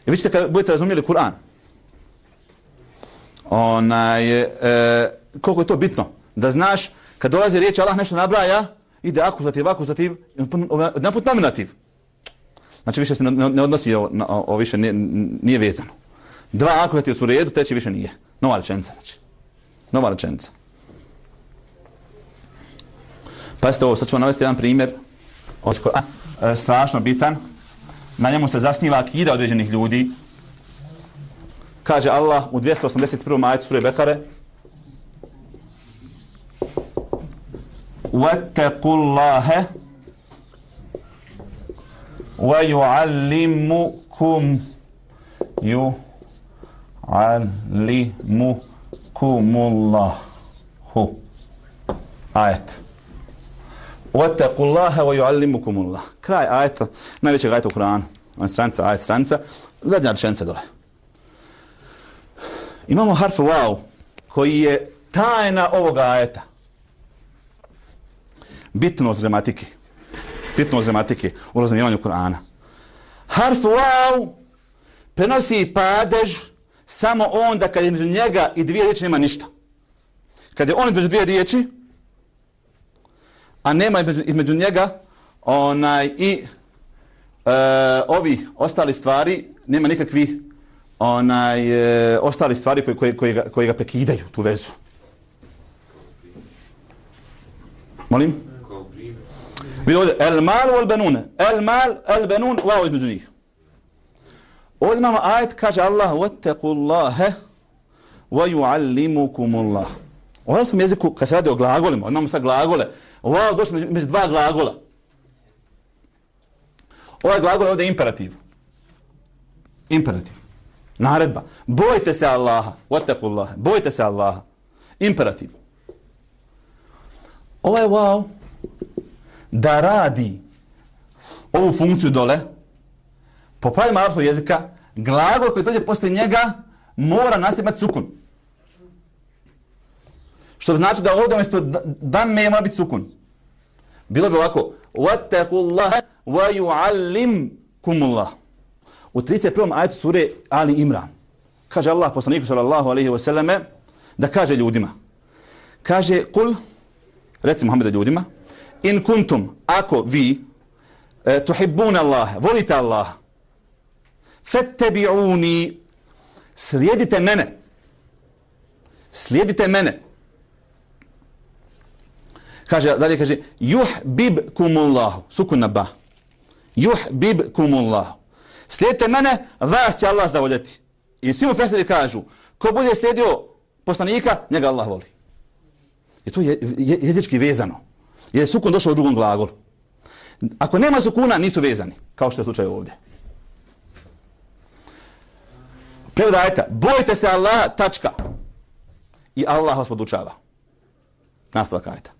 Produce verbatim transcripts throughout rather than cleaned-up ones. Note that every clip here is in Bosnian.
I vi ćete kad budete razumjeli Kur'an, onaj, e, koliko je to bitno, da znaš, kad dolazi riječ Allah nešto nabraja, ide akuzativ, akuzativ, jedan put nominativ. Znači više se ne, ne odnosi, o, o, o više nije, nije vezano. Dva akuzativa su u redu, treći više nije. Nova rečenica, znači. Nova rečenica. Pazite ovo, sad ću vam navesti jedan primjer. A, e, strašno bitan. Na njemu se zasniva akida određenih ljudi. Kaže Allah u dvjesto osamdeset prvom ajetu sure Bekare: وَاتَّقُوا وَيُعَلِّمُكُمْ يُعَلِّمُكُمُ اللَّهُ. Ajet. وَاتَّقُوا اللَّهَ وَيُعَلِّمُكُمُ اللَّهُ. Kraj ajeta, najvećeg ajeta u Kur'anu. Stranica, ajet, stranica. Zadnja rečenica dole. Imamo harf wow, koji je tajna ovoga ajeta. Bitnost gramatike. Bitnost gramatike u razumijevanju Kur'ana. Harf wow prenosi padež samo onda kad je između njega i dvije riječi nema ništa. Kad je on između dvije riječi, a nema između, između njega onaj i e, ovi ostali stvari, nema nikakvi onaj e, ostali stvari koji, koji, koji, ga, koji ga prekidaju tu vezu. Molim? Vidite ovdje, el mal wal benune. El mal, el benun, wow između njih. Ovdje imamo ajet, kaže Allah, وَاتَّقُوا اللَّهَ وَيُعَلِّمُكُمُ اللَّهُ. U hrvatskom jeziku, kad se radi o glagolima, imamo sad glagole, wow došli među, među dva glagola. Ovaj glagol je ovdje imperativ. Imperativ. Naredba. Bojte se Allaha. وَاتَّقُوا اللَّهَ. Bojte se Allaha. Imperativ. Ovaj wow da radi ovu funkciju dole, po pravilima arapskog jezika, glagol koji dođe posle njega mora nastaviti sukun. Što znači da ovdje umjesto dan me mora biti sukun. Bilo bi ovako: وَاتَّقُوا اللَّهَ وَيُعَلِّمْكُمُ اللَّهُ. U trideset prvom ajetu sure Ali Imran kaže Allah poslaniku sallallahu alejhi ve selleme da kaže ljudima. Kaže: "Kul", reci Muhammede ljudima, "in kuntum", ako vi e, tuhibbuna Allah, volite Allah, fattabi'uni, slijedite mene. Slijedite mene. Kaže, dalje kaže: "Yuhbibkumullahu", sukun na ba. "Yuhbibkumullahu". Slijedite mene, vas će Allah zavoljeti. I svi mu fesiri kažu, ko bude slijedio poslanika, njega Allah voli. I to je jezički vezano. Jer je sukun došao u drugom glagolu. Ako nema sukuna, nisu vezani, kao što je slučaj ovdje. Prevod ajeta: bojte se Allaha, tačka. I Allah vas podučava. Nastavak ajeta.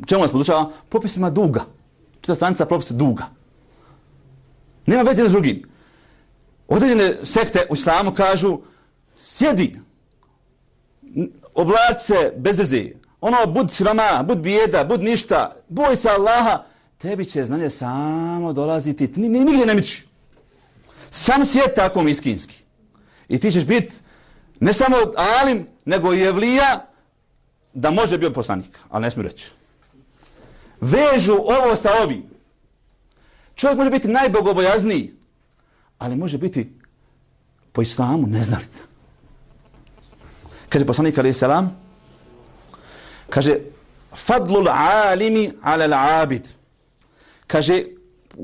Čemu vas podučava? Propisima duga. Čita stranica propisa duga. Nema veze s drugim. Određene sekte u islamu kažu: sjedi, oblači se bez veze, ono, bud siroma, bud bijeda, bud ništa, boj se Allaha, tebi će znanje samo dolaziti, ni, ni, nigdje ne miči. Sam svijet tako miskinski. I ti ćeš biti ne samo alim, nego i evlija, da može biti poslanik, ali ne smiju reći. Vežu ovo sa ovim. Čovjek može biti najbogobojazniji, ali može biti po islamu neznalica. Kaže poslanik alejhi selam, kaže: "Fadlul alimi ala al-abid." Kaže,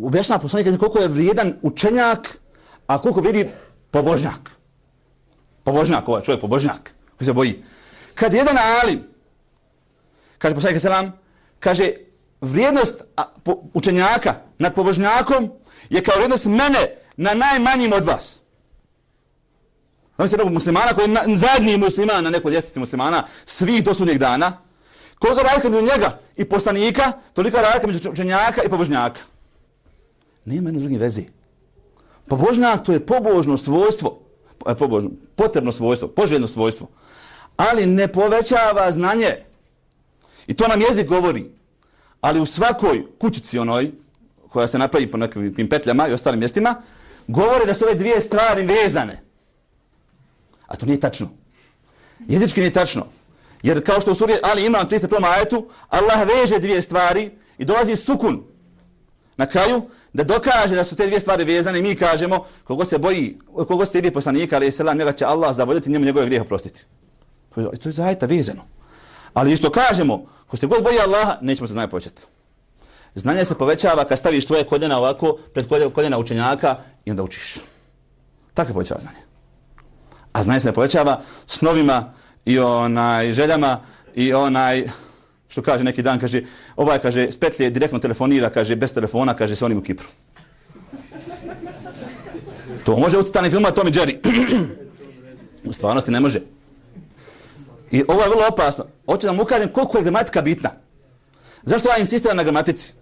objašnjava poslanik koliko je vrijedan učenjak, a koliko vrijedi pobožnjak. Pobožnjak, ovaj čovjek pobožnjak, koji se boji. Kad jedan alim, kaže poslanik alejhi selam, kaže, vrijednost učenjaka nad pobožnjakom je kao vrijednost mene na najmanjim od vas. Znam se nekog muslimana koji je zadnji musliman na nekoj ljestvici muslimana svih do sudnjeg dana. Koliko razlika među njega i poslanika, toliko razlika među učenjaka i pobožnjaka. Nema jedno s drugim veze. Pobožnjak to je pobožno svojstvo, pobožno, potrebno svojstvo, poželjno svojstvo, ali ne povećava znanje. I to nam jezik govori. Ali u svakoj kućici onoj, koja se napravi po nekim petljama i ostalim mjestima, govore da su ove dvije stvari vezane. A to nije tačno. Jezički nije tačno. Jer kao što u suri Ali Imran trideset prvom ajetu, Allah veže dvije stvari i dolazi sukun na kraju da dokaže da su te dvije stvari vezane i mi kažemo kogo se boji, kogo se tibi poslanika, ali selam, njega će Allah zavoljeti, njemu njegove grijehe oprostiti. To je, to je zaista vezano. Ali isto kažemo, ko se god boji Allaha, nećemo se znanje povećati. Znanje se povećava kad staviš tvoje koljena ovako pred koljena učenjaka i onda učiš. Tako se povećava znanje. A znanje se ne povećava snovima i onaj željama i onaj, što kaže neki dan, kaže, ovaj kaže, s petlje direktno telefonira, kaže, bez telefona, kaže, sa onim u Kipru. To može u crtanim filmima Tom i Jerry. U stvarnosti ne može. I ovo je vrlo opasno. Hoću da mu ukažem koliko je gramatika bitna. Zašto ja insistiram na gramatici?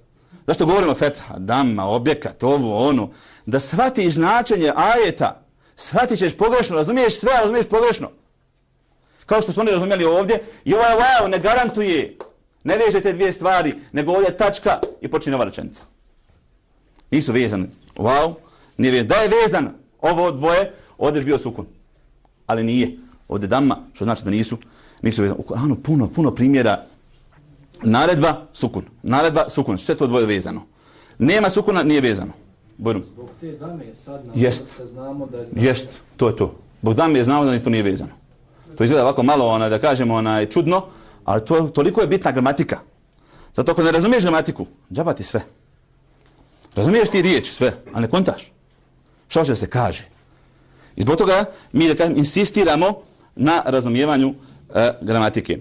Zašto govorimo fetha, damma, objekat, ovo, ono. Da shvatiš značenje ajeta, shvatit ćeš pogrešno, razumiješ sve, razumiješ pogrešno. Kao što su oni razumijeli ovdje. I ovaj wow ne garantuje, ne veže te dvije stvari, nego ovdje tačka i počinje nova rečenica. Nisu vezani. Wow, nije vezan. Da je vezan ovo dvoje, ovdje je bio sukun. Ali nije. Ovdje damma, što znači da nisu, nisu vezani. Ano, puno, puno primjera. Naredba, sukun. Naredba, sukun. Sve to dvoje vezano. Nema sukuna, nije vezano. Bojrum. Zbog te dame sad nam Jest. znamo da je... Jest, to je to. Zbog dame je znamo da to nije vezano. To izgleda ovako malo, onaj, da kažemo, onaj, čudno, ali to, toliko je bitna gramatika. Zato ako ne razumiješ gramatiku, džaba ti sve. Razumiješ ti riječ sve, a ne kontaš. Šta hoće da se kaže? I zbog toga mi da kažem, insistiramo na razumijevanju e, gramatike.